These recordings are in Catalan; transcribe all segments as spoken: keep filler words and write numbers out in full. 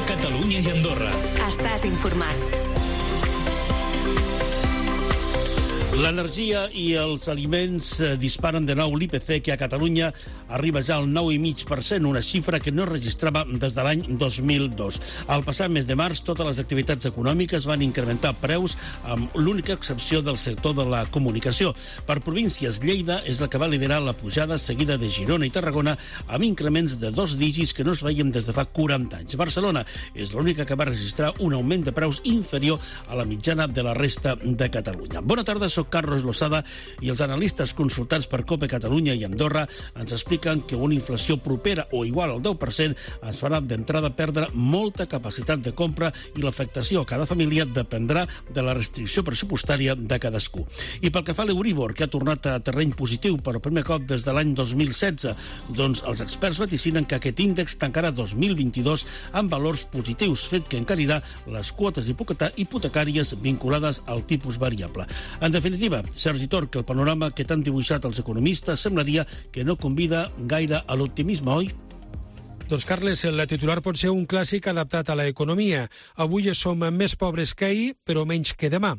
Catalunya i Andorra. Estàs informat. L'energia i els aliments disparen de nou l'I P C, que a Catalunya arriba ja al nou coma cinc per cent, una xifra que no es registrava des de l'any dos mil dos. Al passat mes de març, totes les activitats econòmiques van incrementar preus, amb l'única excepció del sector de la comunicació. Per províncies, Lleida és la que va liderar la pujada, seguida de Girona i Tarragona, amb increments de dos dígits que no es veiem des de fa quaranta anys. Barcelona és l'única que va registrar un augment de preus inferior a la mitjana de la resta de Catalunya. Bona tarda, soc Carlos Losada i els analistes consultats per COPE Catalunya i Andorra ens expliquen que una inflació propera o igual al deu per cent ens farà d'entrada perdre molta capacitat de compra i l'afectació a cada família dependrà de la restricció pressupostària de cadascú. I pel que fa a l'Euríbor, que ha tornat a terreny positiu per primer cop des de l'any dos mil setze, doncs els experts vaticinen que aquest índex tancarà dos mil vint-i-dos amb valors positius, fet que encarirà les quotes hipotecàries vinculades al tipus variable. En definitiva, Sergi Tor, que el panorama que t'han dibuixat els economistes semblaria que no convida gaire a l'optimisme, oi? Doncs, Carles, la titular pot ser un clàssic adaptat a l'economia. Avui som més pobres que ahir, però menys que demà.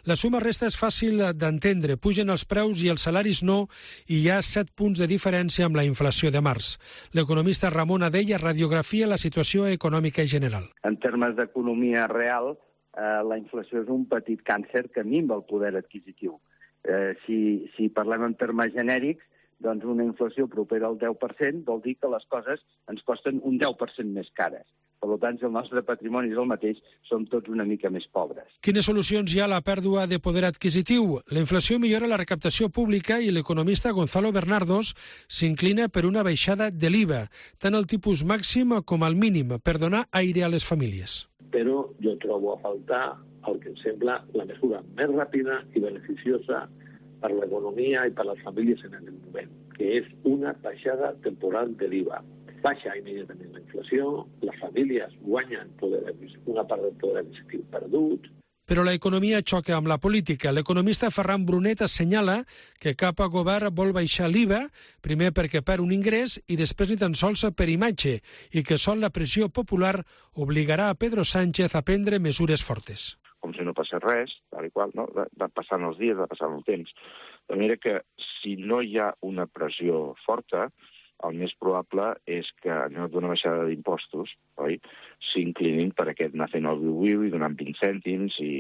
La suma resta és fàcil d'entendre. Pugen els preus i els salaris no, i hi ha set punts de diferència amb la inflació de març. L'economista Ramon Adella radiografia la situació econòmica general. En termes d'economia real, eh, la inflació és un petit càncer que minva el poder adquisitiu. Eh, si, si parlem en termes genèrics, doncs una inflació propera al deu per cent vol dir que les coses ens costen un deu per cent més cares. Per tant, si el nostre patrimoni és el mateix, som tots una mica més pobres. Quines solucions hi ha a la pèrdua de poder adquisitiu? La inflació millora la recaptació pública i l'economista Gonzalo Bernardos s'inclina per una baixada de l'I V A, tant el tipus màxim com el mínim, per donar aire a les famílies. Però jo trobo a faltar el que em sembla la mesura més ràpida i beneficiosa per l'economia i per les famílies en aquest moment, que és una baixada temporal de l'I V A. Baixa immediatament la inflació, les famílies guanyen poder, una part del poder adquisitiu perdut. Però l'economia xoca amb la política. L'economista Ferran Brunet assenyala que cap govern vol baixar l'I V A, primer perquè perd un ingrés i després ni tan sols per imatge, i que sol la pressió popular obligarà a Pedro Sánchez a prendre mesures fortes. Com si no passés res, tal i qual, no? Va, va passant els dies, va passant el temps. De manera que si no hi ha una pressió forta, el més probable és que, en lloc d'una baixada d'impostos, oi, s'inclinin per aquest anar fent el viu-viu i donant vint cèntims i,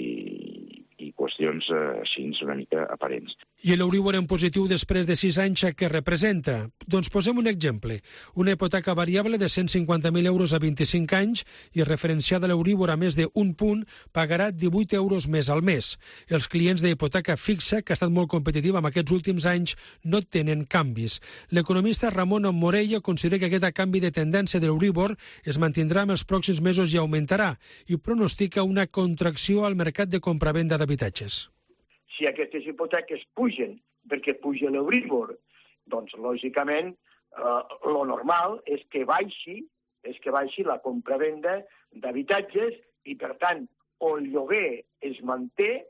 i qüestions eh, així una mica aparents. I l'Euríbor en positiu després de sis anys, què representa? Doncs posem un exemple. Una hipoteca variable de cent cinquanta mil euros a vint-i-cinc anys i referenciada a l'Euríbor a més d'un punt pagarà divuit euros més al mes. Els clients d'hipoteca fixa, que ha estat molt competitiva en aquests últims anys, no tenen canvis. L'economista Ramon Morella considera que aquest canvi de tendència de l'Euríbor es mantindrà en els pròxims mesos i augmentarà, i pronostica una contracció al mercat de compravenda d'habitatges. Si aquestes hipoteques pugen perquè puja l'Euríbor, doncs, lògicament, eh, lo normal és que baixi, és que baixi la compravenda d'habitatges i, per tant, o el lloguer es manté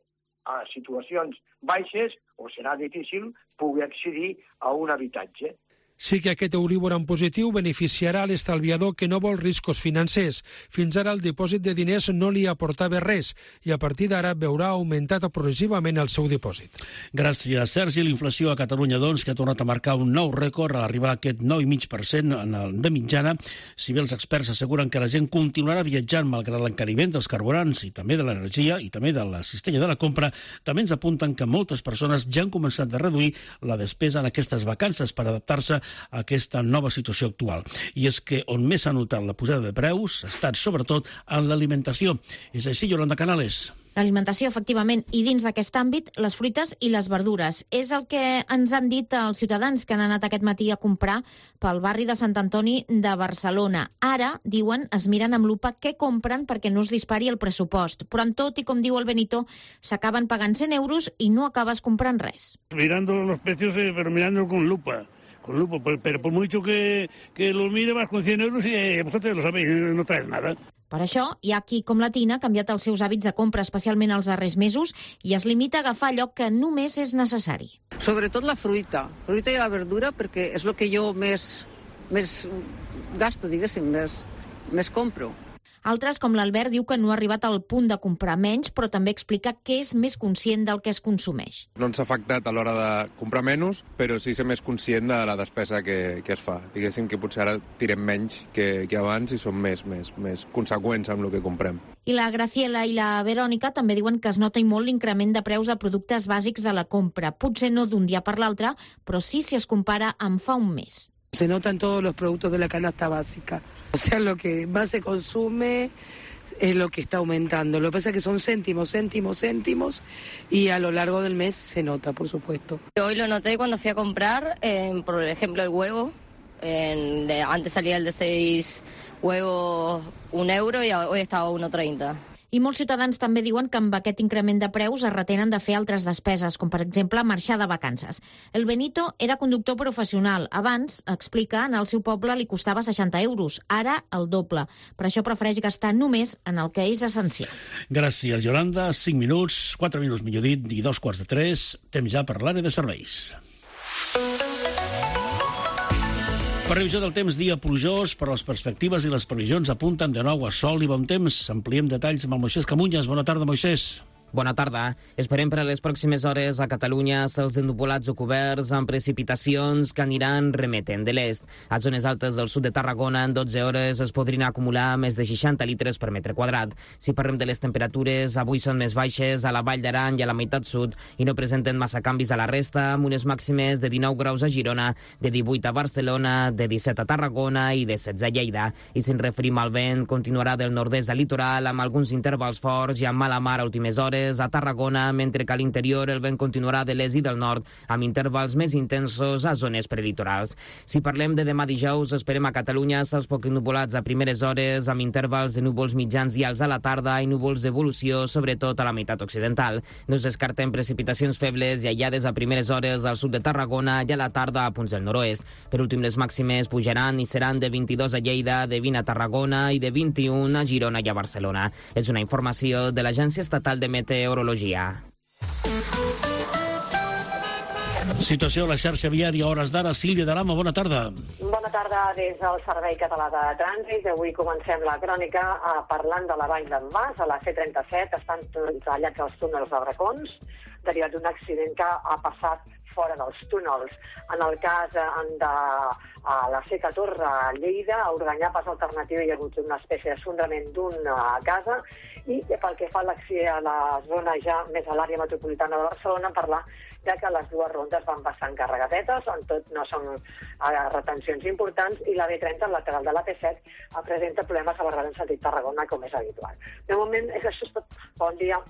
a situacions baixes o serà difícil poder accedir a un habitatge. Sí que aquest Euríbor en positiu beneficiarà l'estalviador que no vol riscos financers. Fins ara el dipòsit de diners no li aportava res i a partir d'ara veurà augmentat progressivament el seu dipòsit. Gràcies, Sergi. L'inflació a Catalunya, doncs, que ha tornat a marcar un nou rècord a arribar a aquest nou coma cinc per cent en el de mitjana. Si bé els experts asseguren que la gent continuarà viatjant malgrat l'encariment dels carburants i també de l'energia i també de la cistella de la compra, també ens apunten que moltes persones ja han començat a reduir la despesa en aquestes vacances per adaptar-se a aquesta nova situació actual. I és que on més s'ha notat la pujada de preus ha estat sobretot en l'alimentació. És així, Yolanda Canales? L'alimentació, efectivament, i dins d'aquest àmbit, les fruites i les verdures. És el que ens han dit els ciutadans que han anat aquest matí a comprar pel barri de Sant Antoni de Barcelona. Ara, diuen, es miren amb lupa què compren perquè no es dispari el pressupost. Però amb tot, i com diu el Benito, s'acaben pagant cent euros i no acabes comprant res. Mirando los precios, eh, pero mirando con lupa. Con lupa, pero por mucho que, que lo mire vas con cien euros y eh, vosotros lo sabéis, no traes nada. Per això, hi ha qui, com la Tina, ha canviat els seus hàbits de compra, especialment els darrers mesos, i es limita a agafar allò que només és necessari. Sobretot la fruita, fruita i la verdura, perquè és el que jo més, més gasto, diguéssim, més, més compro. Altres, com l'Albert, diu que no ha arribat al punt de comprar menys, però també explica que és més conscient del que es consumeix. No ens ha afectat a l'hora de comprar menys, però sí ser més conscient de la despesa que, que es fa. Diguéssim que potser ara tirem menys que, que abans i som més, més, més conseqüents amb el que comprem. I la Graciela i la Verònica també diuen que es nota i molt l'increment de preus de productes bàsics de la compra. Potser no d'un dia per l'altre, però sí si es compara amb fa un mes. Se notan todos los productos de la canasta básica. O sea, lo que más se consume es lo que está aumentando. Lo que pasa es que son céntimos, céntimos, céntimos y a lo largo del mes se nota, por supuesto. Hoy lo noté cuando fui a comprar, eh, por ejemplo, el huevo. En, de, antes salía el de seis huevos un euro y hoy está a uno treinta. I molts ciutadans també diuen que amb aquest increment de preus es retenen de fer altres despeses, com per exemple marxar de vacances. El Benito era conductor professional. Abans, explica, en el seu poble li costava seixanta euros, ara el doble. Per això prefereix gastar només en el que és essencial. Gràcies, Yolanda. cinc minuts, quatre minuts millor dit, i dos quarts de tres. Temps ja per l'àrea de serveis. Previsió del temps, dia plujós, però les perspectives i les previsions apunten de nou a sol i bon temps. Ampliem detalls amb el Moisés Camunyes. Bona tarda, Moisés. Bona tarda. Esperem per a les pròximes hores a Catalunya cels ennupolats o coberts amb precipitacions que aniran remetent de l'est. A zones altes del sud de Tarragona en dotze hores es podrien acumular més de seixanta litres per metre quadrat. Si parlem de les temperatures, avui són més baixes a la Vall d'Aran i a la meitat sud i no presenten massa canvis a la resta, amb unes màximes de dinou graus a Girona, de divuit a Barcelona, de disset a Tarragona i de setze a Lleida. I si ens referim al vent, continuarà del nord-est al litoral amb alguns intervals forts i amb mala mar a últimes hores a Tarragona, mentre que a l'interior el vent continuarà de l'est i del nord, amb intervals més intensos a zones prelitorals. Si parlem de demà dijous, esperem a Catalunya cels poc ennupolats a primeres hores, amb intervals de núvols mitjans i alts a la tarda i núvols d'evolució, sobretot a la meitat occidental. No es descarten precipitacions febles i aïllades a primeres hores al sud de Tarragona i a la tarda a punts del nord-oest. Per últim, les màximes pujaran i seran de vint-i-dos a Lleida, de vint a Tarragona i de vint-i-un a Girona i a Barcelona. És una informació de l'Agència Estatal de Meteorologia. Situació a la xarxa viària, hores d'ara. Sílvia de l'Ama, bona tarda. Bona tarda des del Servei Català de Trànsit. Avui comencem la crònica eh, parlant de la Vall d'en Bas. A la C trenta-set estan tallats els túnels de Bracons, derivat d'un accident que ha passat fora dels túnels. En el cas de a la C catorze a Lleida, a Organyà, pas alternatiu, hi ha hagut una espècie de sondrament d'una casa, i pel que fa a la zona ja més a l'àrea metropolitana de Barcelona, parlar de que les dues rondes van bastant carregadetes, en tot no són retencions importants, i la B trenta, el lateral de la P set, presenta problemes a Barberà en sentit Tarragona, com és habitual. De moment, és això és tot. Bon dia.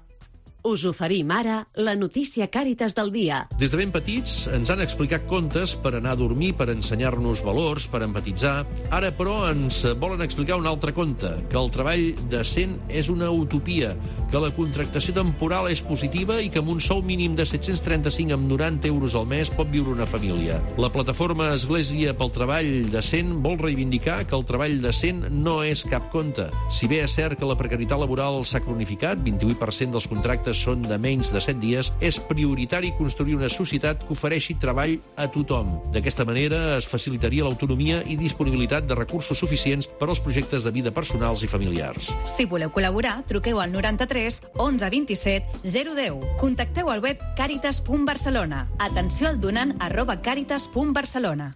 Us oferim ara la notícia Càritas del dia. Des de ben petits ens han explicat contes per anar a dormir, per ensenyar-nos valors, per empatitzar. Ara, però, ens volen explicar un altre conte, que el treball decent és una utopia, que la contractació temporal és positiva i que amb un sou mínim de set-cents trenta-cinc amb noranta euros al mes pot viure una família. La plataforma Església pel Treball Decent vol reivindicar que el treball decent no és cap conte. Si bé és cert que la precarietat laboral s'ha cronificat, vint-i-vuit per cent dels contractes són de menys de set dies, és prioritari construir una societat que ofereixi treball a tothom. D'aquesta manera es facilitaria l'autonomia i disponibilitat de recursos suficients per als projectes de vida personals i familiars. Si voleu col·laborar, truqueu al noranta-tres onze vint-i-set zero deu. Contacteu al web càritas punt barcelona. Atenció al donant arroba càritas punt barcelona.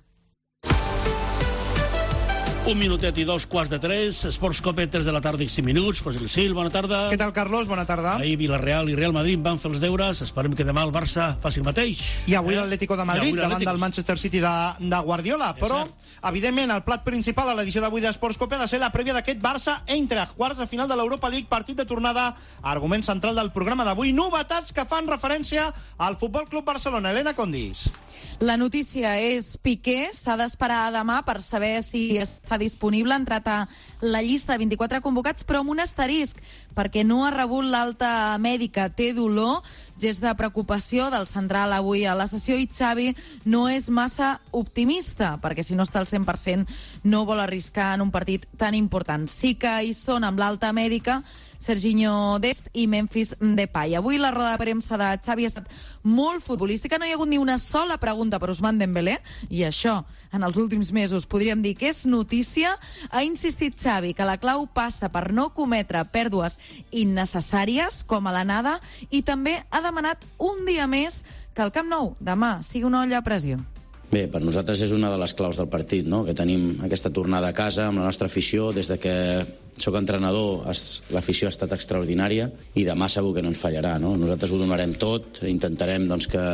Un minutet i dos quarts de tres, Esports Cope, tres de la tarda i cinc minuts. José Luis Gil, bona tarda. Què tal, Carlos? Bona tarda. Ahir Villarreal i Real Madrid van fer els deures. Esperem que demà el Barça faci el mateix. I avui eh? l'Atlético de Madrid, davant del Manchester City de, de Guardiola. És Però, cert. evidentment, el plat principal a l'edició d'avui d'Esports Cope ha de ser la prèvia d'aquest Barça-Eintracht, quarts de final de l'Europa League, partit de tornada, argument central del programa d'avui. Novetats que fan referència al Futbol Club Barcelona. Elena Condis. La notícia és Piqué. S'ha d'esperar demà per saber si està disponible. Ha entrat a la llista de vint-i-quatre convocats, però amb un asterisc, perquè no ha rebut l'alta mèdica. Té dolor, gest de preocupació del central avui a la sessió, i Xavi no és massa optimista, perquè si no està al cent per cent no vol arriscar en un partit tan important. Sí que hi són amb l'alta mèdica Serginho Dest i Memphis Depay. Avui la roda de premsa de Xavi ha estat molt futbolística, no hi ha hagut ni una sola pregunta per Ousmane Dembélé, i això, en els últims mesos, podríem dir que és notícia. Ha insistit Xavi que la clau passa per no cometre pèrdues innecessàries, com a l'anada, i també ha demanat un dia més que el Camp Nou demà sigui una olla a pressió. Bé, per nosaltres és una de les claus del partit, no? Que tenim aquesta tornada a casa amb la nostra afició. Des de que sóc entrenador, l'afició ha estat extraordinària i demà segur que no ens fallarà, no? Nosaltres ho donarem tot, intentarem doncs, que,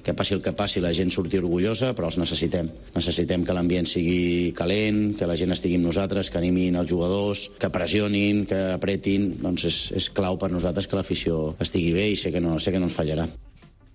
que passi el que passi, la gent surti orgullosa, però els necessitem. Necessitem que l'ambient sigui calent, que la gent estigui amb nosaltres, que animin els jugadors, que pressionin, que apretin. Doncs és, és clau per nosaltres que l'afició estigui bé i sé que no, sé que no ens fallarà.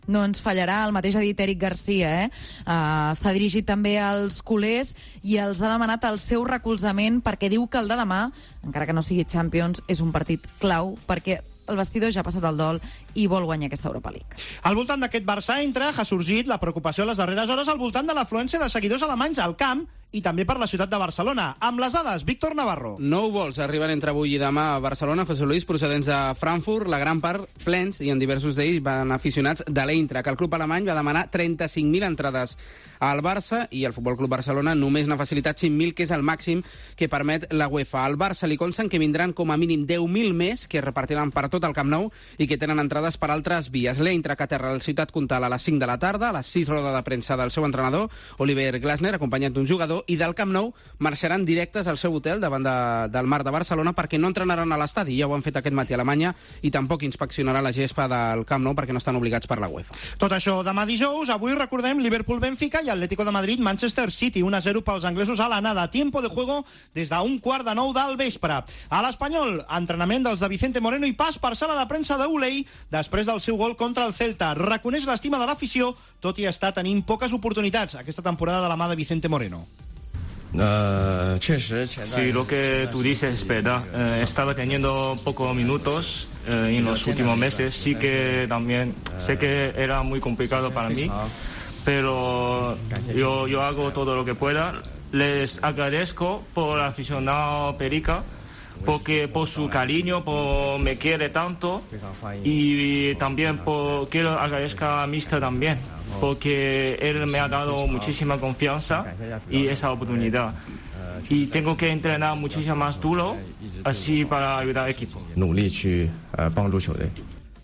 No ens fallarà, el mateix ha dit Eric Garcia, eh? Uh, s'ha dirigit també als culers i els ha demanat el seu recolzament perquè diu que el de demà, encara que no sigui Champions, és un partit clau perquè el vestidor ja ha passat el dol i vol guanyar aquesta Europa League. Al voltant d'aquest Barça-Eintracht ha sorgit la preocupació a les darreres hores al voltant de l'afluència de seguidors alemanys al camp i també per la ciutat de Barcelona. Amb les dades, Víctor Navarro. Nou vols arriben entre avui i demà a Barcelona, José Luis, procedents de Frankfurt, la gran part plens, i en diversos d'ells van aficionats de l'Eintracht. El club alemany va demanar trenta-cinc mil entrades al Barça i el Futbol Club Barcelona només n'ha facilitat cinc mil, que és el màxim que permet la UEFA. Al Barça li consten que vindran com a mínim deu mil més, que es repartiran per tot el Camp Nou i que tenen entrades per altres vies. L'Eintracht aterra a la ciutat Comtal a les cinc de la tarda, a les sis roda de premsa del seu entrenador, Oliver Glasner, acompanyat d'un jugador, i del Camp Nou marxaran directes al seu hotel davant de, del Mar de Barcelona perquè no entrenaran a l'estadi, ja ho han fet aquest matí a Alemanya, i tampoc inspeccionarà la gespa del Camp Nou perquè no estan obligats per la UEFA. Tot això demà dijous. Avui recordem Liverpool-Benfica i Atlético de Madrid-Manchester City, un a zero pels anglesos a l'anada. Tiempo de juego des d'un quart de nou del vespre. A l'Espanyol, entrenament dels de Vicente Moreno i pas per sala de premsa d'Ulei després del seu gol contra el Celta. Reconeix l'estima de l'afició, tot i estar tenint poques oportunitats aquesta temporada de la mà de Vicente Moreno. Uh, sí, lo que tú dices es verdad. Uh, estaba teniendo pocos minutos uh, en los últimos meses. Sí que también sé que era muy complicado para mí, pero yo, yo hago todo lo que pueda. Les agradezco por el aficionado Perica, porque por su cariño, por me quiere tanto, y también por, quiero agradecer a Mister también, porque él me ha dado muchísima confianza y esa oportunidad. Y tengo que entrenar muchísimo más duro, así para ayudar al equipo.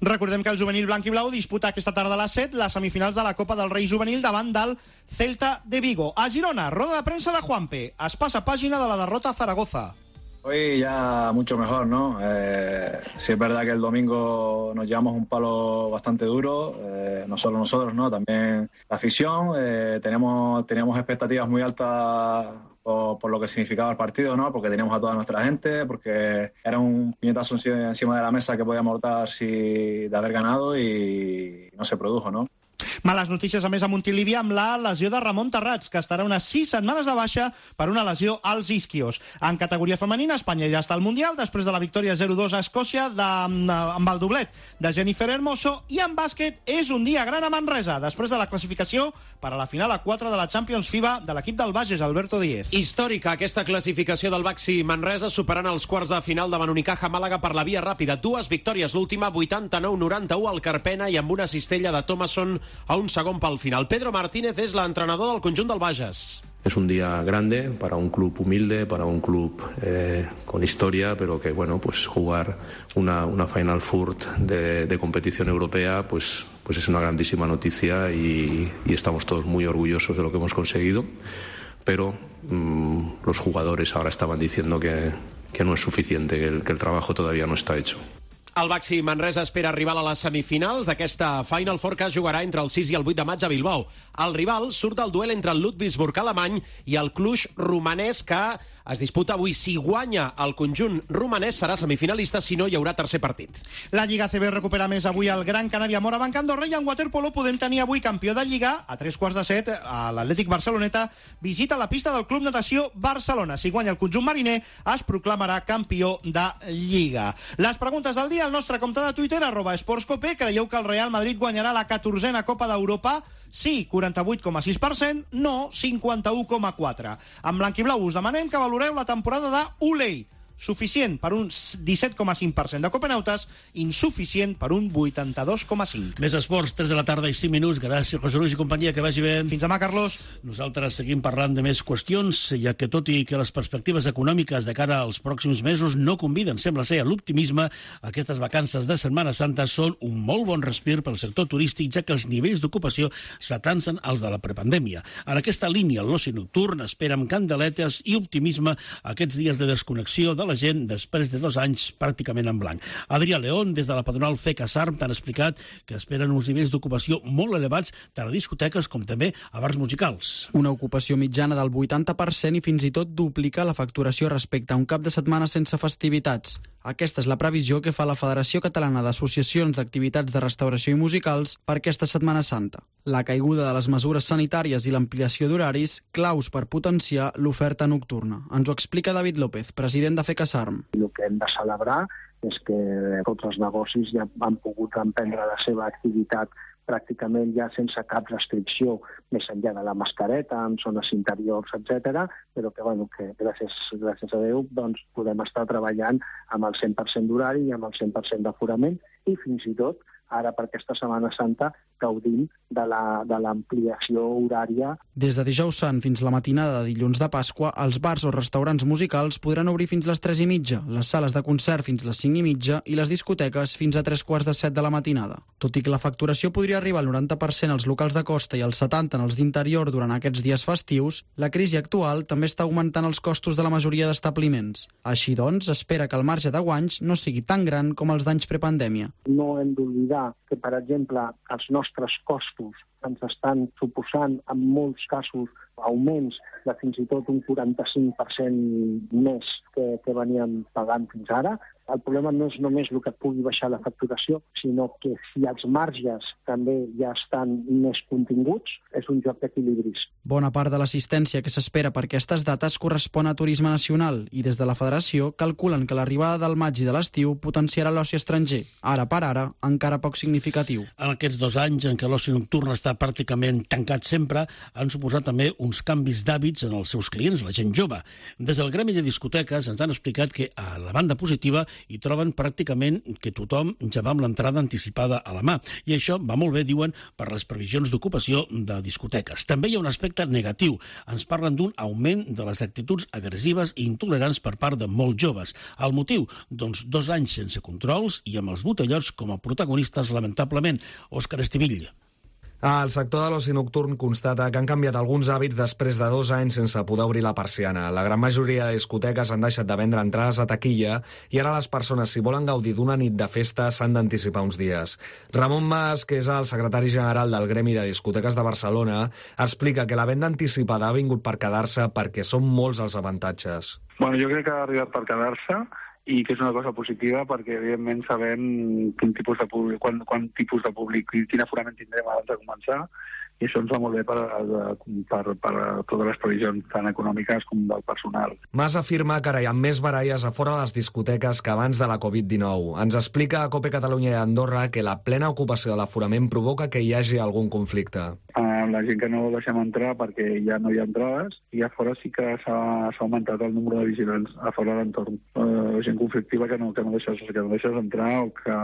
Recordem que el juvenil blanc i blau disputa aquesta tarda a les set les semifinals de la Copa del Rei juvenil davant del Celta de Vigo. A Girona, roda de premsa de Juanpe. Es passa pàgina de la derrota a Zaragoza. Hoy ya mucho mejor, ¿no? Eh, sí es verdad que el domingo nos llevamos un palo bastante duro, eh, no solo nosotros, ¿no? También la afición. Eh, teníamos, teníamos expectativas muy altas por, por lo que significaba el partido, ¿no? Porque teníamos a toda nuestra gente, porque era un puñetazo encima de la mesa que podíamos dar si de haber ganado y no se produjo, ¿no? Males notícies, a més, a Montilivi amb la lesió de Ramon Terrats, que estarà unes sis setmanes de baixa per una lesió als isquios. En categoria femenina, Espanya ja està al Mundial, després de la victòria zero dos a Escòcia de, amb el doblet de Jennifer Hermoso, i en bàsquet és un dia gran a Manresa, després de la classificació per a la final a quatre de la Champions FIBA de l'equip del Bages, Alberto Díez. Històrica aquesta classificació del Baxi Manresa, superant els quarts de final davant Unicaja Màlaga per la via ràpida. Dues victòries, l'última vuitanta-nou noranta-u al Carpena i amb una cistella de Thomason a un segon pel final. Pedro Martínez es la entrenador del conjunt del Bages. Es un día grande para un club humilde, para un club eh, con historia, pero que, bueno, pues jugar una, una Final Four de, de competición europea, pues, pues es una grandísima noticia y, y estamos todos muy orgullosos de lo que hemos conseguido, pero mmm, los jugadores ahora estaban diciendo que, que no es suficiente, que el, que el trabajo todavía no está hecho. El Baxi Manresa espera arribar a les semifinals d'aquesta Final Four que es jugarà entre el sis i el vuit de maig a Bilbao. El rival surt del duel entre el Ludwigsburg alemany i el Cluj romanès, que es disputa avui. Si guanya el conjunt romanès serà semifinalista, si no hi haurà tercer partit. La Lliga A C B recupera més avui el Gran Canària Morabanc Andorra, i en waterpolo podem tenir avui campió de Lliga. A tres quarts de set, a l'Atlètic Barceloneta visita la pista del Club Natació Barcelona. Si guanya el conjunt mariner, es proclamarà campió de Lliga. Les preguntes del dia al nostre compte de Twitter, arroba esportscope. Creieu que el Real Madrid guanyarà la catorzena Copa d'Europa? Sí, quaranta-vuit coma sis per cent, no, cinquanta-u coma quatre. En blanc i blau us demanem que valoreu la temporada de Ulei. suficient per un disset coma cinc per cent de copenautes, insuficient per un vuitanta-dos coma cinc. Més esports, tres de la tarda i cinc minuts. Gràcies, José Luis i companyia, que vagi bé. Fins demà, Carlos. Nosaltres seguim parlant de més qüestions, ja que tot i que les perspectives econòmiques de cara als pròxims mesos no conviden, sembla ser, a l'optimisme, aquestes vacances de Setmana Santa són un molt bon respir pel sector turístic, ja que els nivells d'ocupació s'atansen als de la prepandèmia. En aquesta línia, l'oci nocturn espera amb candeletes i optimisme aquests dies de desconnexió de la gent després de dos anys pràcticament en blanc. Adrià León, des de la patronal FECASARM, t'han explicat que esperen uns nivells d'ocupació molt elevats tant a discoteques com també a bars musicals. Una ocupació mitjana del vuitanta per cent i fins i tot duplica la facturació respecte a un cap de setmana sense festivitats. Aquesta és la previsió que fa la Federació Catalana d'Associacions d'Activitats de Restauració i Musicals per aquesta Setmana Santa. La caiguda de les mesures sanitàries i l'ampliació d'horaris, claus per potenciar l'oferta nocturna. Ens ho explica David López, president de FECASARM. El que hem de celebrar és que tots els negocis ja han pogut emprendre la seva activitat pràcticament ja sense cap restricció, més enllà de la mascareta, en zones interiors, etcètera, però que, bueno, que gràcies, gràcies a Déu doncs, podem estar treballant amb el cent per cent d'horari i amb el cent per cent d'aforament i fins i tot ara per aquesta Setmana Santa gaudim de la, de l'ampliació horària. Des de dijous sant fins la matinada de dilluns de Pasqua, els bars o restaurants musicals podran obrir fins les tres i mitja, les sales de concert fins les cinc i mitja i les discoteques fins a tres quarts de set de la matinada. Tot i que la facturació podria arribar al noranta per cent als locals de costa i al setanta per cent en els d'interior durant aquests dies festius, la crisi actual també està augmentant els costos de la majoria d'establiments. Així doncs, espera que el marge de guanys no sigui tan gran com els d'anys prepandèmia. No hem d'oblidar que, per exemple, els nostres costos ens estan suposant en molts casos augments de fins i tot un quaranta-cinc per cent més que, que veníem pagant fins ara. El problema no és només el que pugui baixar la facturació, sinó que si els marges també ja estan més continguts, és un joc d'equilibris. Bona part de l'assistència que s'espera per aquestes dates correspon a turisme nacional i des de la Federació calculen que l'arribada del maig i de l'estiu potenciarà l'oci estranger, ara per ara encara poc significatiu. En aquests dos anys en què l'oci nocturn està pràcticament tancat sempre, han suposat també uns canvis d'hàbits en els seus clients, la gent jove. Des del gremi de discoteques ens han explicat que a la banda positiva hi troben pràcticament que tothom ja va amb l'entrada anticipada a la mà. I això va molt bé, diuen, per les previsions d'ocupació de discoteques. També hi ha un aspecte negatiu. Ens parlen d'un augment de les actituds agressives i intolerants per part de molts joves. El motiu? Doncs dos anys sense controls i amb els botellots com a protagonistes, lamentablement. Òscar Estivill. El sector de l'oci nocturn constata que han canviat alguns hàbits després de dos anys sense poder obrir la persiana. La gran majoria de discoteques han deixat de vendre entrades a taquilla i ara les persones, si volen gaudir d'una nit de festa, s'han d'anticipar uns dies. Ramon Mas, que és el secretari general del Gremi de Discoteques de Barcelona, explica que la venda anticipada ha vingut per quedar-se perquè són molts els avantatges. Bueno, jo crec que ha arribat per quedar-se i que és una cosa positiva perquè, evidentment, sabem quin tipus de públic, quan, quan tipus de públic i quin aforament tindrem abans de començar, i això ens va molt bé per, per, per totes les previsions tant econòmiques com del personal. Mas afirma que ara hi ha més baralles a fora de les discoteques que abans de la covid dinou. Ens explica a Cope Catalunya i Andorra que la plena ocupació de l'aforament provoca que hi hagi algun conflicte. Uh, la gent que no deixem entrar perquè ja no hi ha entrades, i a fora sí que s'ha augmentat el número de vigilants a fora de l'entorn. Uh, gent conflictiva que no, que no deixes, que no deixes entrar o que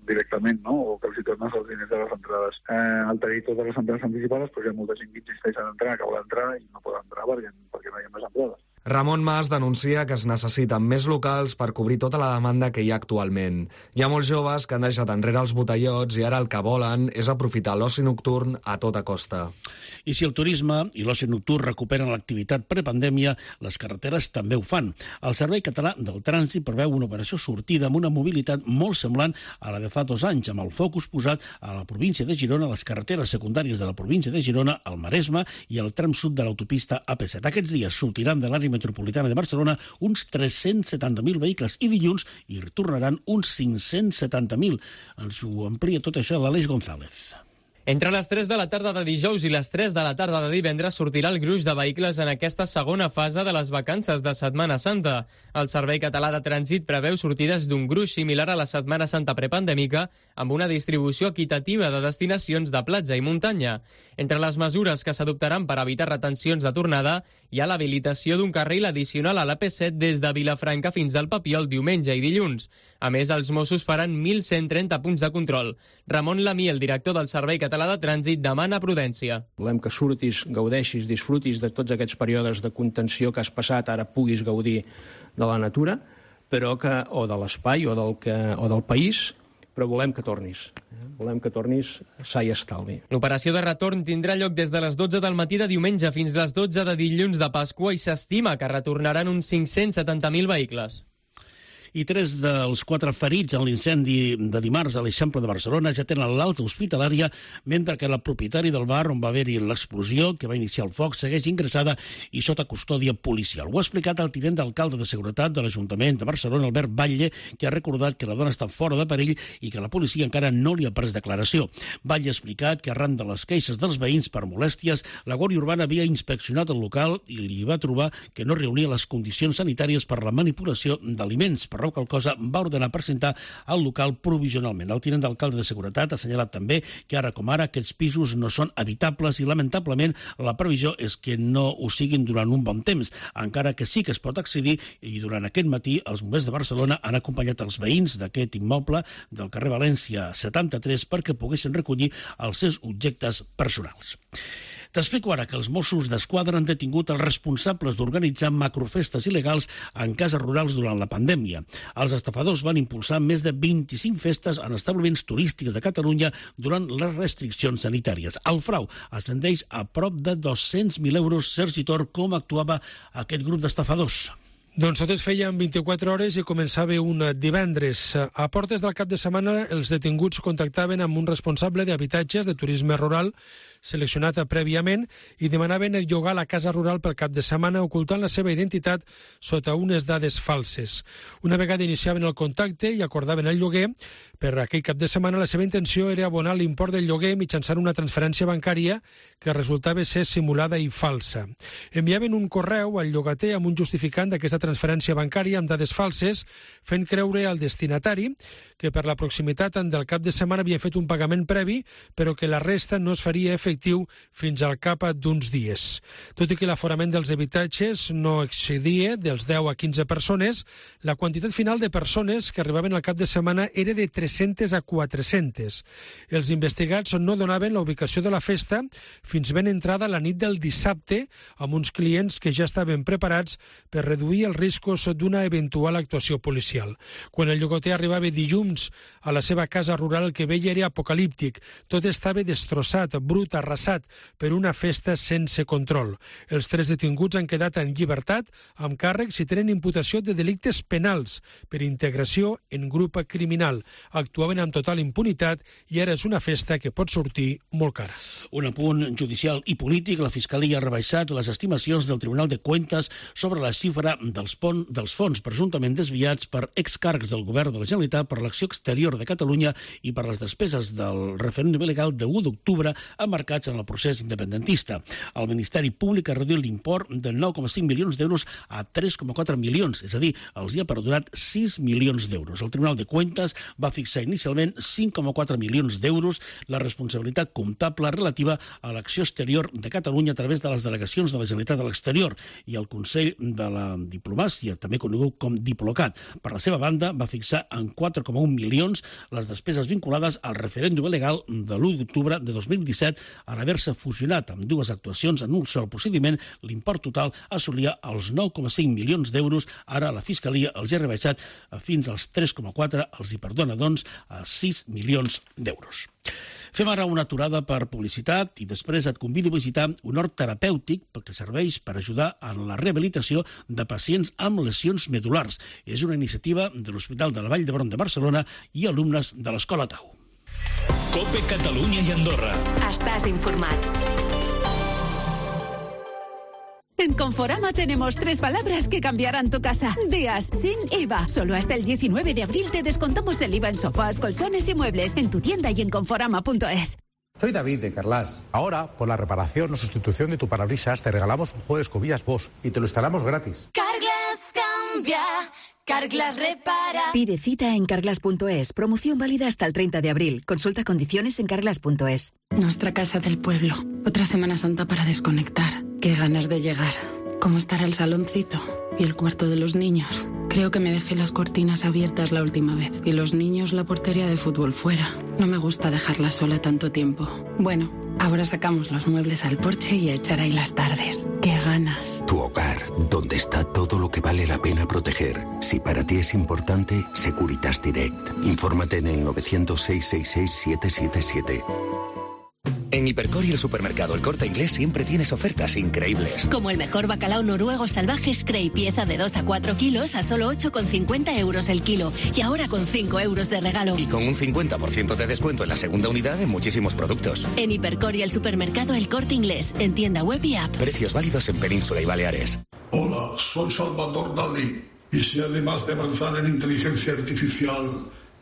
directament, no? O que els hi tornes els diners de les entrades. Uh, al tenir totes les entrades anticipades, però hi ha molta gent que insisteix en entrar, que vol entrar i no pot entrar perquè, perquè no hi ha més entrades. Ramon Mas denuncia que es necessiten més locals per cobrir tota la demanda que hi ha actualment. Hi ha molts joves que han deixat enrere els botellots i ara el que volen és aprofitar l'oci nocturn a tota costa. I si el turisme i l'oci nocturn recuperen l'activitat prepandèmia, les carreteres també ho fan. El Servei Català del Trànsit preveu una operació sortida amb una mobilitat molt semblant a la de fa dos anys, amb el focus posat a la província de Girona, a les carreteres secundàries de la província de Girona, al Maresme i al tram sud de l'autopista A P set. Aquests dies sortiran de l'àrea metropolitana de Barcelona uns tres-cents setanta mil vehicles i dilluns hi retornaran uns cinc-cents setanta mil. Ens ho amplia tot això l'Aleix González. Entre les tres de la tarda de dijous i les tres de la tarda de divendres sortirà el gruix de vehicles en aquesta segona fase de les vacances de Setmana Santa. El Servei Català de Trànsit preveu sortides d'un gruix similar a la Setmana Santa prepandèmica, amb una distribució equitativa de destinacions de platja i muntanya. Entre les mesures que s'adoptaran per evitar retencions de tornada hi ha l'habilitació d'un carril addicional a l'A P set des de Vilafranca fins al Papiol diumenge i dilluns. A més, els Mossos faran mil cent trenta punts de control. Ramon Lamí, el director del Servei Català de Trànsit, demana prudència. Volem que surtis, gaudeixis, disfrutis de tots aquests períodes de contenció que has passat, ara puguis gaudir de la natura, però que, o de l'espai o, del que, o del país, però volem que tornis. Volem que tornis sa i estalvi. L'operació de retorn tindrà lloc des de les dotze del matí de diumenge fins les dotze de dilluns de Pasqua i s'estima que retornaran uns cinc-cents setanta mil vehicles. I tres dels quatre ferits en l'incendi de dimarts a l'Eixample de Barcelona ja tenen l'alta hospitalària, mentre que la propietari del bar on va haver-hi l'explosió, que va iniciar el foc, segueix ingressada i sota custòdia policial. Ho ha explicat el tinent d'alcalde de Seguretat de l'Ajuntament de Barcelona, Albert Batlle, que ha recordat que la dona està fora de perill i que la policia encara no li ha pres declaració. Batlle ha explicat que arran de les queixes dels veïns per molèsties, la Guàrdia Urbana havia inspeccionat el local i li va trobar que no reunia les condicions sanitàries per la manipulació d'aliments. Per raó qual cosa va ordenar presentar el local provisionalment. El tinent d'alcalde de Seguretat ha assenyalat també que ara com ara aquests pisos no són habitables i lamentablement la previsió és que no ho siguin durant un bon temps, encara que sí que es pot accedir i durant aquest matí els bombers de Barcelona han acompanyat els veïns d'aquest immoble del carrer València setanta-tres perquè poguessin recollir els seus objectes personals. T'explico ara que els Mossos d'Esquadra han detingut els responsables d'organitzar macrofestes il·legals en cases rurals durant la pandèmia. Els estafadors van impulsar més de vint-i-cinc festes en establiments turístics de Catalunya durant les restriccions sanitàries. El frau ascendeix a prop de dos-cents mil euros. Sergi Tor, com actuava aquest grup d'estafadors? Doncs tot es feia en vint-i-quatre hores i començava un divendres. A portes del cap de setmana, els detinguts contactaven amb un responsable d'habitatges de turisme rural seleccionat prèviament i demanaven el llogar la casa rural pel cap de setmana ocultant la seva identitat sota unes dades falses. Una vegada iniciaven el contacte i acordaven el lloguer, per aquell cap de setmana la seva intenció era abonar l'import del lloguer mitjançant una transferència bancària que resultava ser simulada i falsa. Enviaven un correu al llogater amb un justificant d'aquesta transferència bancària amb dades falses, fent creure al destinatari que per la proximitat del cap de setmana havia fet un pagament previ, però que la resta no es faria efectiu fins al cap d'uns dies. Tot i que l'aforament dels habitatges no excedia dels deu a quinze persones, la quantitat final de persones que arribaven al cap de setmana era de tres-centes a quatre-centes. Els investigats no donaven la ubicació de la festa fins ben entrada la nit del dissabte, amb uns clients que ja estaven preparats per reduir els riscos d'una eventual actuació policial. Quan el llogater arribava dilluns a la seva casa rural, el que veia era apocalíptic. Tot estava destrossat, brut, arrasat per una festa sense control. Els tres detinguts han quedat en llibertat amb càrrecs i tenen imputació de delictes penals per integració en grup criminal. Actuaven amb total impunitat i ara és una festa que pot sortir molt cara. Un apunt judicial i polític. La Fiscalia ha rebaixat les estimacions del Tribunal de Cuentas sobre la xifra dels, pon, dels fons presumptament desviats per excàrrecs del govern de la Generalitat per l'acció exterior de Catalunya i per les despeses del referèndum il·legal de l'u d'octubre emmarcats en el procés independentista. El Ministeri Públic ha reduït l'import de nou coma cinc milions d'euros a tres coma quatre milions, és a dir, els hi ha perdonat sis milions d'euros. El Tribunal de Cuentas va fixar inicialment cinc coma quatre milions d'euros la responsabilitat comptable relativa a l'acció exterior de Catalunya a través de les delegacions de la Generalitat a l'exterior i el Consell de la Diplomàcia, també conegut com Diplocat. Per la seva banda, va fixar en quatre coma un milions les despeses vinculades al referèndum il·legal de l'u d'octubre de dos mil disset. En haver-se fusionat amb dues actuacions en un sol procediment, l'import total assolia els nou coma cinc milions d'euros. Ara la Fiscalia els ha rebaixat fins als tres coma quatre, els hi perdona, doncs, a sis milions d'euros. Fem ara una aturada per publicitat i després et convido a visitar un hort terapèutic que serveix per ajudar en la rehabilitació de pacients amb lesions medulars. És una iniciativa de l'Hospital de la Vall d'Hebron de Barcelona i alumnes de l'Escola Tau. COPE Catalunya i Andorra. Estás informat. En Conforama tenemos tres palabras que cambiarán tu casa. Días sin I V A. Solo hasta el diecinueve de abril te descontamos el I V A en sofás, colchones y muebles en tu tienda y en conforama punto es. Soy David de Carlas. Ahora, por la reparación o sustitución de tu parabrisas, te regalamos un juego de escobillas Bosch y te lo instalamos gratis. Carglass cambia, Carglass repara. Pide cita en carglass punto es. Promoción válida hasta el treinta de abril. Consulta condiciones en carglass punto es. Nuestra casa del pueblo. Otra Semana Santa para desconectar. Qué ganas de llegar. ¿Cómo estará el saloncito? Y el cuarto de los niños. Creo que me dejé las cortinas abiertas la última vez. Y los niños la portería de fútbol fuera. No me gusta dejarla sola tanto tiempo. Bueno, ahora sacamos los muebles al porche y a echar ahí las tardes. ¡Qué ganas! Tu hogar, donde está todo lo que vale la pena proteger. Si para ti es importante, Securitas Direct. Infórmate en el novecientos, seiscientos sesenta y seis, siete siete siete. En Hipercor y el supermercado El Corte Inglés siempre tienes ofertas increíbles. Como el mejor bacalao noruego salvaje Scray, pieza de dos a cuatro kilos a solo ocho con cincuenta euros el kilo. Y ahora con cinco euros de regalo. Y con un cincuenta por ciento de descuento en la segunda unidad en muchísimos productos. En Hipercor y el supermercado El Corte Inglés, en tienda web y app. Precios válidos en Península y Baleares. Hola, soy Salvador Dalí. Y si además de avanzar en inteligencia artificial,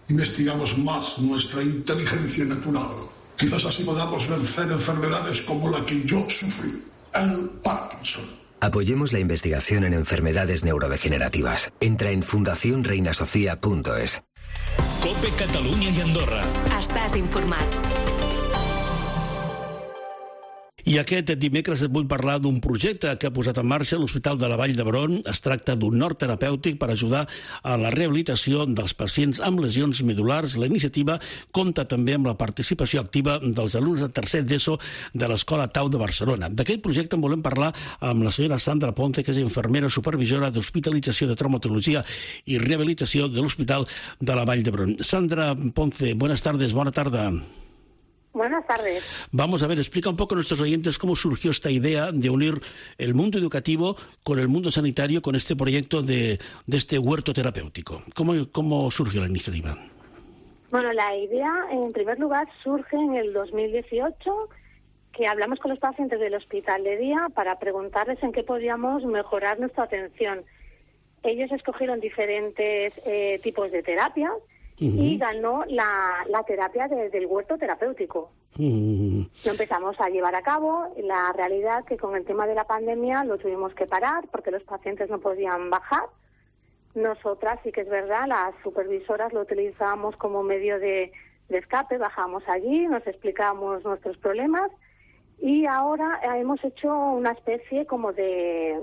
investigamos más nuestra inteligencia natural, quizás así podamos vencer enfermedades como la que yo sufrí, el Parkinson. Apoyemos la investigación en enfermedades neurodegenerativas. Entra en fundación reina sofía punto es. Cope Catalunya i Andorra. Estàs informat. I aquest dimecres et vull parlar d'un projecte que ha posat en marxa l'Hospital de la Vall d'Hebron. Es tracta d'un nord terapèutic per ajudar a la rehabilitació dels pacients amb lesions medulars. La iniciativa compta també amb la participació activa dels alumnes de tercer d'ESO de l'Escola Tau de Barcelona. D'aquest projecte en volem parlar amb la senyora Sandra Ponce, que és infermera supervisora d'hospitalització de traumatologia i rehabilitació de l'Hospital de la Vall d'Hebron. Sandra Ponce, buenas tardes, bona tarda. Buenas tardes. Vamos a ver, explica un poco a nuestros oyentes cómo surgió esta idea de unir el mundo educativo con el mundo sanitario con este proyecto de, de este huerto terapéutico. ¿Cómo, ¿Cómo surgió la iniciativa? Bueno, la idea, en primer lugar, surge en el dos mil dieciocho, que hablamos con los pacientes del hospital de día para preguntarles en qué podíamos mejorar nuestra atención. Ellos escogieron diferentes eh, tipos de terapias. Uh-huh. Y ganó la, la terapia de, del huerto terapéutico. Uh-huh. Lo empezamos a llevar a cabo. La realidad que con el tema de la pandemia lo tuvimos que parar porque los pacientes no podían bajar. Nosotras, sí que es verdad, las supervisoras lo utilizábamos como medio de, de escape. Bajábamos allí, nos explicábamos nuestros problemas. Y ahora hemos hecho una especie como de,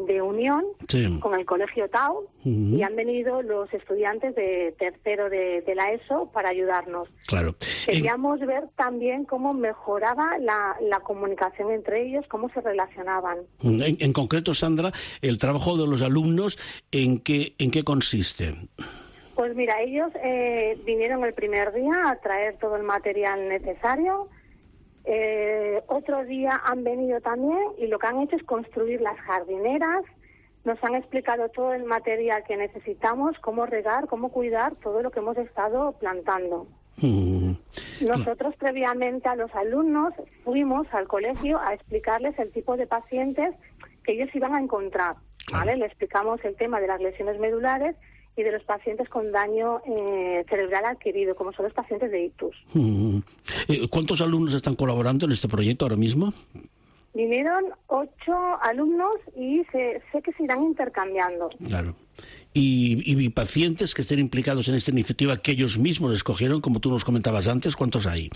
de unión sí. con el Colegio Tau uh-huh. y han venido los estudiantes de tercero de, de la ESO para ayudarnos. Claro. Queríamos en... ver también cómo mejoraba la, la comunicación entre ellos, cómo se relacionaban. En, en concreto, Sandra, el trabajo de los alumnos, ¿en qué, en qué consiste? Pues mira, ellos eh, vinieron el primer día a traer todo el material necesario. Eh, otro día han venido también y lo que han hecho es construir las jardineras. Nos han explicado todo el material que necesitamos, cómo regar, cómo cuidar todo lo que hemos estado plantando. Mm. Nosotros previamente a los alumnos fuimos al colegio a explicarles el tipo de pacientes que ellos iban a encontrar, ¿vale? Le explicamos el tema de las lesiones medulares y de los pacientes con daño eh, cerebral adquirido, como son los pacientes de ictus. Mm. ¿Cuántos alumnos están colaborando en este proyecto ahora mismo? Vinieron ocho alumnos y se, sé que se irán intercambiando. Claro. Y, y pacientes que estén implicados en esta iniciativa que ellos mismos escogieron, como tú nos comentabas antes, ¿cuántos hay?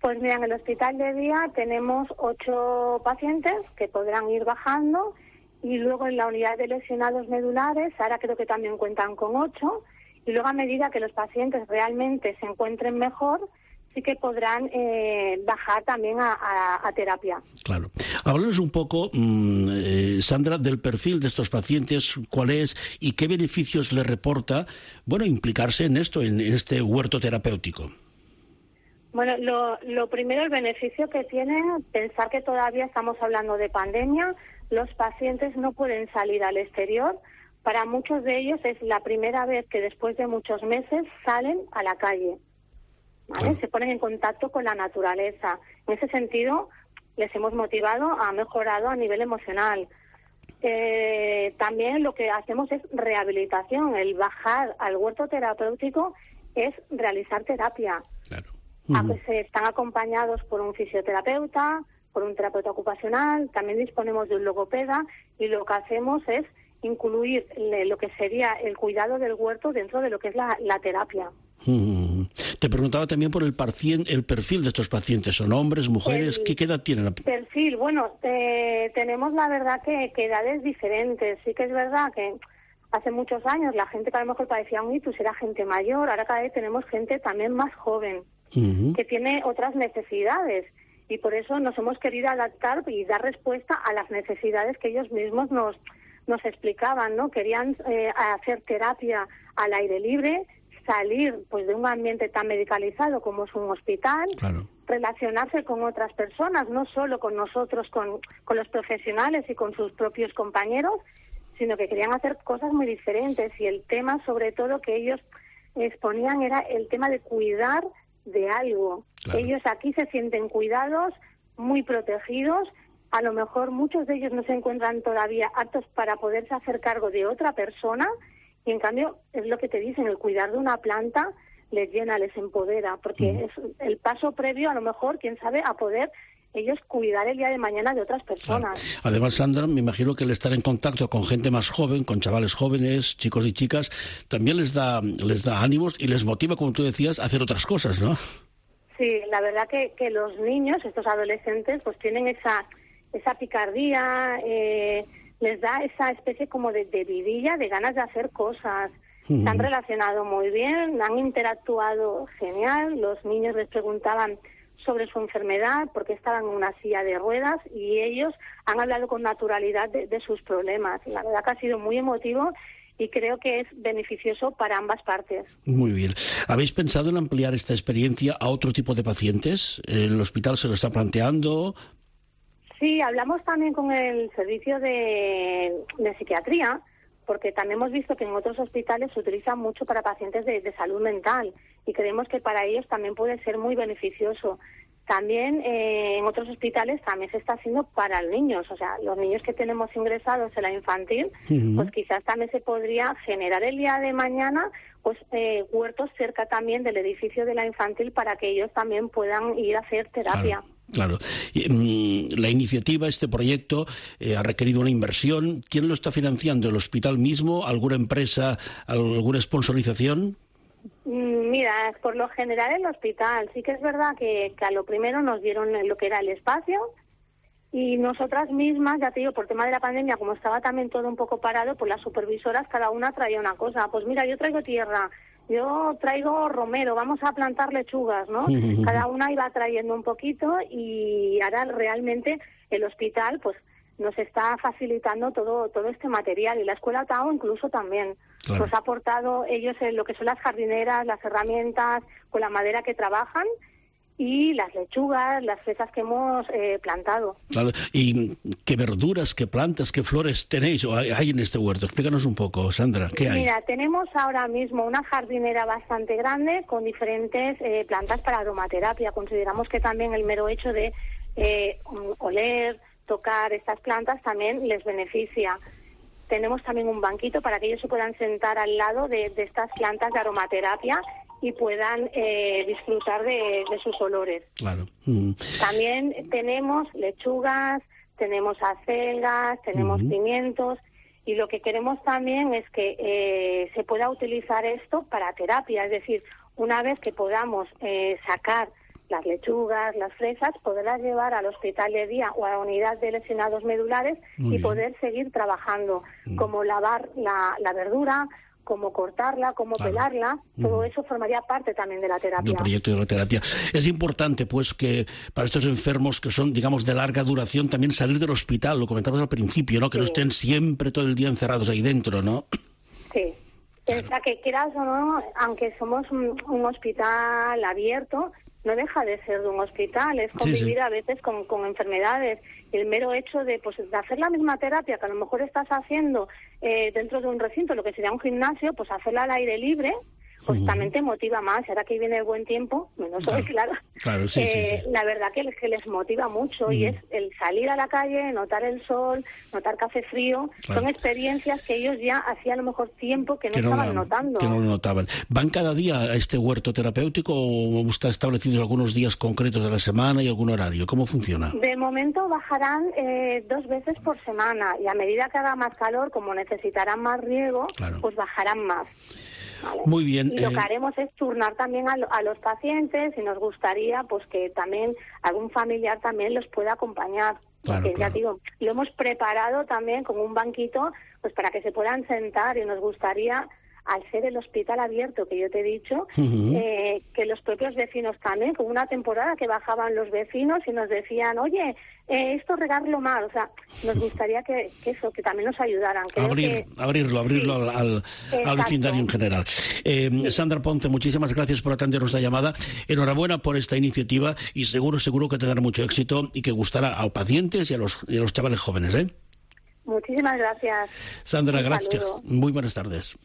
Pues mira, en el hospital de día tenemos ocho pacientes que podrán ir bajando. Y luego en la unidad de lesionados medulares, ahora creo que también cuentan con ocho, y luego a medida que los pacientes realmente se encuentren mejor, sí que podrán eh, bajar también a, a, a terapia. Claro. Háblanos un poco, mmm, eh, Sandra, del perfil de estos pacientes, cuál es y qué beneficios les reporta, bueno, implicarse en esto, en, en este huerto terapéutico. Bueno, lo, lo primero, el beneficio que tiene, pensar que todavía estamos hablando de pandemia. Los pacientes no pueden salir al exterior. Para muchos de ellos es la primera vez que después de muchos meses salen a la calle, ¿vale? Se ponen en contacto con la naturaleza. En ese sentido, les hemos motivado, ha mejorado a nivel emocional. Eh, también lo que hacemos es rehabilitación. El bajar al huerto terapéutico es realizar terapia. Claro. Uh-huh. Se están acompañados por un fisioterapeuta, por un terapeuta ocupacional, también disponemos de un logopeda y lo que hacemos es incluir lo que sería el cuidado del huerto dentro de lo que es la, la terapia. Uh-huh. Te preguntaba también por el, parcien, el perfil de estos pacientes. ¿Son hombres, mujeres? El, ¿Qué edad tienen? Perfil, bueno, eh, tenemos la verdad que, que edades diferentes. Sí que es verdad que hace muchos años la gente que a lo mejor padecía un ictus era gente mayor, ahora cada vez tenemos gente también más joven, uh-huh, que tiene otras necesidades y por eso nos hemos querido adaptar y dar respuesta a las necesidades que ellos mismos nos, nos explicaban, ¿no? Querían eh, hacer terapia al aire libre, salir pues de un ambiente tan medicalizado como es un hospital, claro, relacionarse con otras personas, no solo con nosotros, con, con los profesionales y con sus propios compañeros, sino que querían hacer cosas muy diferentes y el tema sobre todo que ellos exponían era el tema de cuidar de algo. Claro. Ellos aquí se sienten cuidados, muy protegidos, a lo mejor muchos de ellos no se encuentran todavía aptos para poderse hacer cargo de otra persona y en cambio es lo que te dicen, el cuidar de una planta les llena, les empodera, porque mm. es el paso previo a lo mejor, quién sabe, a poder ellos cuidar el día de mañana de otras personas. Claro. Además, Sandra, me imagino que el estar en contacto con gente más joven, con chavales jóvenes, chicos y chicas, también les da les da ánimos y les motiva, como tú decías, a hacer otras cosas, ¿no? Sí, la verdad que, que los niños, estos adolescentes, pues tienen esa esa picardía, eh, les da esa especie como de, de vidilla, de ganas de hacer cosas. Uh-huh. Se han relacionado muy bien, han interactuado genial, los niños les preguntaban sobre su enfermedad, porque estaban en una silla de ruedas y ellos han hablado con naturalidad de, de sus problemas. La verdad que ha sido muy emotivo y creo que es beneficioso para ambas partes. Muy bien. ¿Habéis pensado en ampliar esta experiencia a otro tipo de pacientes? ¿El hospital se lo está planteando? Sí, hablamos también con el servicio de, de psiquiatría, porque también hemos visto que en otros hospitales se utiliza mucho para pacientes de, de salud mental y creemos que para ellos también puede ser muy beneficioso. También eh, en otros hospitales también se está haciendo para los niños, o sea, los niños que tenemos ingresados en la infantil, uh-huh, pues quizás también se podría generar el día de mañana pues eh, huertos cerca también del edificio de la infantil para que ellos también puedan ir a hacer terapia. Claro. Claro. La iniciativa, este proyecto, eh, ha requerido una inversión. ¿Quién lo está financiando? ¿El hospital mismo? ¿Alguna empresa? ¿Alguna sponsorización? Mira, por lo general el hospital. Sí que es verdad que, que a lo primero nos dieron lo que era el espacio y nosotras mismas, ya te digo, por tema de la pandemia, como estaba también todo un poco parado, pues las supervisoras cada una traía una cosa. Pues mira, yo traigo tierra, yo traigo romero, vamos a plantar lechugas, ¿no? Cada una iba trayendo un poquito y ahora realmente el hospital pues nos está facilitando todo todo este material y la Escuela Tao incluso también. Claro. Nos ha aportado ellos en lo que son las jardineras, las herramientas, con la madera que trabajan y las lechugas, las fresas que hemos eh, plantado. Claro. ¿Y qué verduras, qué plantas, qué flores tenéis o hay en este huerto? Explícanos un poco, Sandra, ¿qué hay? Mira, tenemos ahora mismo una jardinera bastante grande con diferentes eh, plantas para aromaterapia. Consideramos que también el mero hecho de eh, oler, tocar estas plantas también les beneficia. Tenemos también un banquito para que ellos se puedan sentar al lado de, de estas plantas de aromaterapia y puedan eh, disfrutar de, de sus olores. Claro. Mm. También tenemos lechugas, tenemos acelgas, tenemos mm. pimientos y lo que queremos también es que eh, se pueda utilizar esto para terapia, es decir, una vez que podamos eh, sacar las lechugas, las fresas, poderlas llevar al hospital de día o a la unidad de lesionados medulares Muy y bien. poder seguir trabajando, mm. como lavar la, la verdura, cómo cortarla, cómo claro. pelarla, todo eso formaría parte también de la terapia. Del proyecto de la terapia. Es importante, pues, que para estos enfermos que son, digamos, de larga duración, también salir del hospital, lo comentamos al principio, ¿no? Que sí. no estén siempre todo el día encerrados ahí dentro, ¿no? Sí. Claro. O sea, que quieras o no, aunque somos un, un hospital abierto, no deja de ser de un hospital, es convivir sí, sí. a veces con, con enfermedades. El mero hecho de, pues, de hacer la misma terapia que a lo mejor estás haciendo eh, dentro de un recinto, lo que sería un gimnasio, pues hacerla al aire libre, pues Uh-huh. también te motiva más. Ahora que viene el buen tiempo, menos hoy, claro, Claro, sí, eh, sí, sí. la verdad que, que les motiva mucho y Mm. es el salir a la calle, notar el sol, notar que hace frío. Claro. Son experiencias que ellos ya hacía a lo mejor tiempo que no Que no, estaban la- notando. que no lo notaban. ¿Van cada día a este huerto terapéutico o está establecidos algunos días concretos de la semana y algún horario? ¿Cómo funciona? De momento bajarán eh, dos veces por semana y a medida que haga más calor, como necesitarán más riego, Claro. pues bajarán más. ¿vale? Muy bien. Y lo eh, que haremos es turnar también a, lo- a los pacientes y nos gustaría pues que también algún familiar también los pueda acompañar. Claro, Porque claro. ya digo, lo hemos preparado también con un banquito pues para que se puedan sentar y nos gustaría, al ser el hospital abierto que yo te he dicho, Ujú. eh, que los propios vecinos también, con una temporada que bajaban los vecinos y nos decían, oye, eh, esto regarlo mal, o sea, nos gustaría que, que eso, que también nos ayudaran. Creo Abrir, que- abrirlo, abrirlo Sí. al, al, al Exacto. vecindario en general. Eh, Sandra Ponce, muchísimas gracias por atendernos la llamada. Enhorabuena por esta iniciativa y seguro, seguro que tendrá mucho éxito y que gustará a los pacientes y a los, y a los chavales jóvenes, ¿eh? Muchísimas gracias. Sandra, Un gracias. saludo. Muy buenas tardes.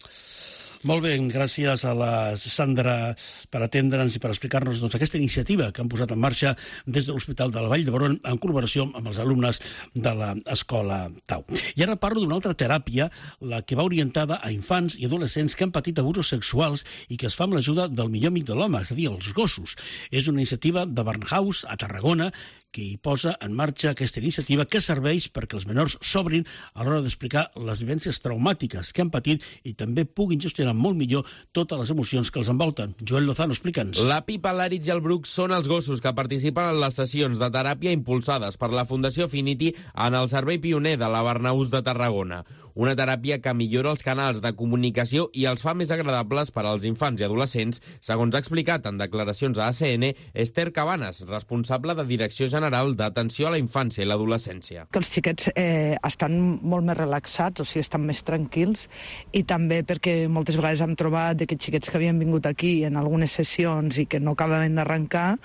Molt bé, gràcies a la Sandra per atendre'ns i per explicar-nos doncs, aquesta iniciativa que han posat en marxa des de l'Hospital de la Vall d'Hebron en col·laboració amb els alumnes de l'Escola Tau. I ara parlo d'una altra teràpia, la que va orientada a infants i adolescents que han patit abusos sexuals i que es fa amb l'ajuda del millor amic de l'home, és a dir, els gossos. És una iniciativa de Barnhouse, a Tarragona, que hi posa en marxa aquesta iniciativa que serveix perquè els menors s'obrin a l'hora d'explicar les vivències traumàtiques que han patit i també puguin gestionar molt millor totes les emocions que els envolten. Joel Lozano, explica'ns. La Pipa, l'Àritz i el Bruc són els gossos que participen en les sessions de teràpia impulsades per la Fundació Affinity en el servei pioner de la Barnahus de Tarragona. Una teràpia que millora els canals de comunicació i els fa més agradables per als infants i adolescents, segons ha explicat en declaracions a A C N Esther Cabanes, responsable de Direcció General d'Atenció a la Infància i l'Adolescència. Que els xiquets eh, estan molt més relaxats, o sigui, estan més tranquils, i també perquè moltes vegades hem trobat que xiquets que havien vingut aquí en algunes sessions i que no acabaven d'arrencar,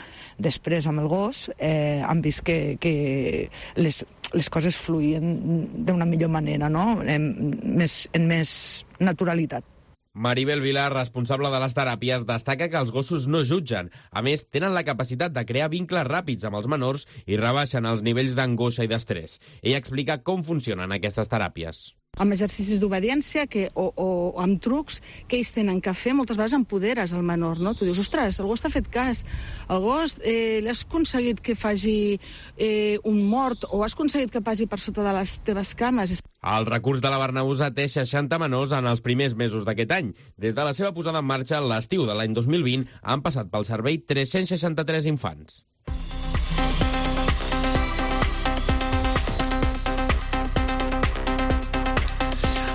després amb el gos eh, han vist que, que les, les coses fluïen d'una millor manera, no? En més, en més naturalitat. Maribel Vilar, responsable de les teràpies, destaca que els gossos no jutgen. A més, tenen la capacitat de crear vincles ràpids amb els menors i rebaixen els nivells d'angoixa i d'estrès. Ella explica com funcionen aquestes teràpies. Amb exercicis d'obediència que, o, o amb trucs que ells tenen que fer, moltes vegades empoderes el menor, no? Tu dius, ostres, el gos t'ha fet cas, el gos eh, l'has aconseguit que faci eh, un mort o has aconseguit que passi per sota de les teves cames. El recurs de la Barnahus atès seixanta menors en els primers mesos d'aquest any. Des de la seva posada en marxa l'estiu de l'any dos mil vint han passat pel servei tres-cents seixanta-tres infants.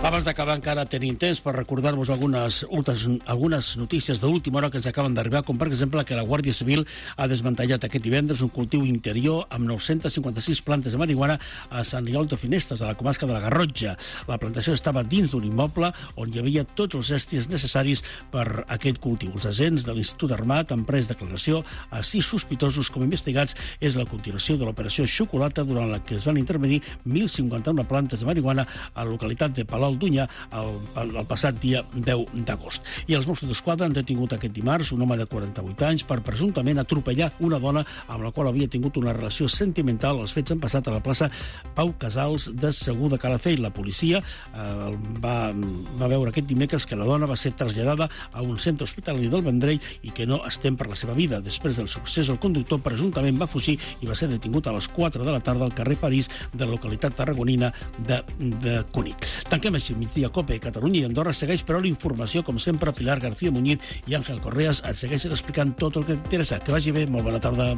Abans d'acabar encara tenim temps per recordar-vos algunes, algunes notícies d'última hora que ens acaben d'arribar, com per exemple que la Guàrdia Civil ha desmantellat aquest divendres un cultiu interior amb nou-cents cinquanta-sis plantes de marihuana a Sant Riol de Finestres, a la comarca de la Garrotxa. La plantació estava dins d'un immoble on hi havia tots els estris necessaris per aquest cultiu. Els agents de l'Institut Armat han pres declaració a sis sospitosos com investigats. És la continuació de l'operació Xocolata, durant la que es van intervenir mil cinquanta-una plantes de marihuana a la localitat de Palau d'Unya el, el, el passat dia deu d'agost. I els Mossos d'Esquadra han detingut aquest dimarts un home de quaranta-vuit anys per presumptament atropellar una dona amb la qual havia tingut una relació sentimental. Els fets han passat a la plaça Pau Casals de Segur de Calafell. La policia eh, va, va veure aquest dimecres que la dona va ser traslladada a un centre hospitalari del Vendrell i que no es tem per la seva vida. Després del succés, el conductor presumptament va fugir i va ser detingut a les quatre de la tarda al carrer París de la localitat tarragonina de, de Cunit. Tanquem així el migdia Cope. Catalunya i Andorra segueix, però la informació, com sempre, Pilar García Muñiz i Àngel Correas et segueixen explicant tot el que t'interessa. Que vagi bé, molt bona tarda.